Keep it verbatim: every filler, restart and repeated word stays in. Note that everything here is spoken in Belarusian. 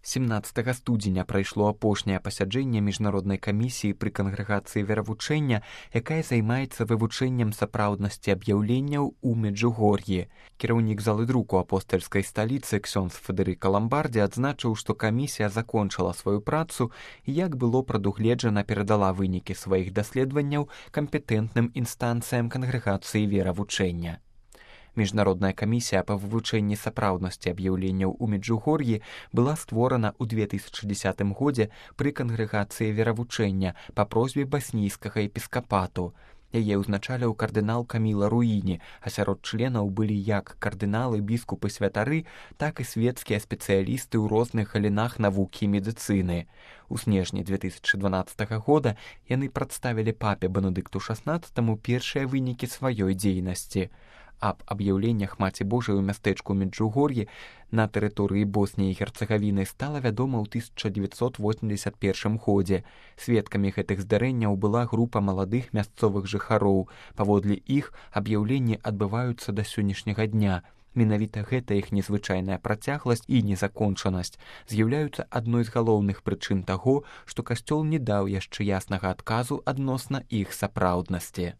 семнаццатага студзеня прайшло апошняе пасяджэнне міжнароднай камісіі пры кангрэгацыі веравучэння, якая займаецца вывучэннем сапраўднасці аб'яўленняў у Меджугор'і. Кіраўнік залы друку апостальскай сталіцы ксёндз Федэрыка Ламбардзі адзначыў, што камісія закончыла сваю працу і, як было прадугледжана, перадала вынікі сваіх даследаванняў кампетэнтным інстанцыям кангрэгацыі веравучэння. Міжнародная камісія па вывучэнні сапраўднасці аб'яўленняў у Меджугор'і была створана ў две тысячы дзесятым годзе пры кангрэгацыі веравучэння па просьбе баснійскага епіскапату. Яе ўзначаліў кардынал Каміла Руіні, а сярод членаў былі як кардыналы, біскупы, святары, так і светскія спецыялісты ў розных галінах навукі і медыцыны. У снежні две тысячы дванаццатага года яны прадставілі папе Бенедыкту шаснаццатаму першыя вынікі сваёй дзейнасці. Аб аб'яўленнях Маці Божай у мястэчку Меджугор'і на тэрыторыі Босніі і Герцагавіны стала вядома ў тысяча дзевяцьсот восемьдесят першым годзе. Сведкамі гэтых здарэнняў была група маладых мясцовых жыхароў. Паводле іх аб'яўленні адбываюцца да сённяшняга дня. Менавіта гэта іх незвычайная працягласць і незакончанасць з'яўляюцца адной з галоўных прычын таго, што касцёл не даў яшчэ яснага адказу адносна іх сапраўднасці.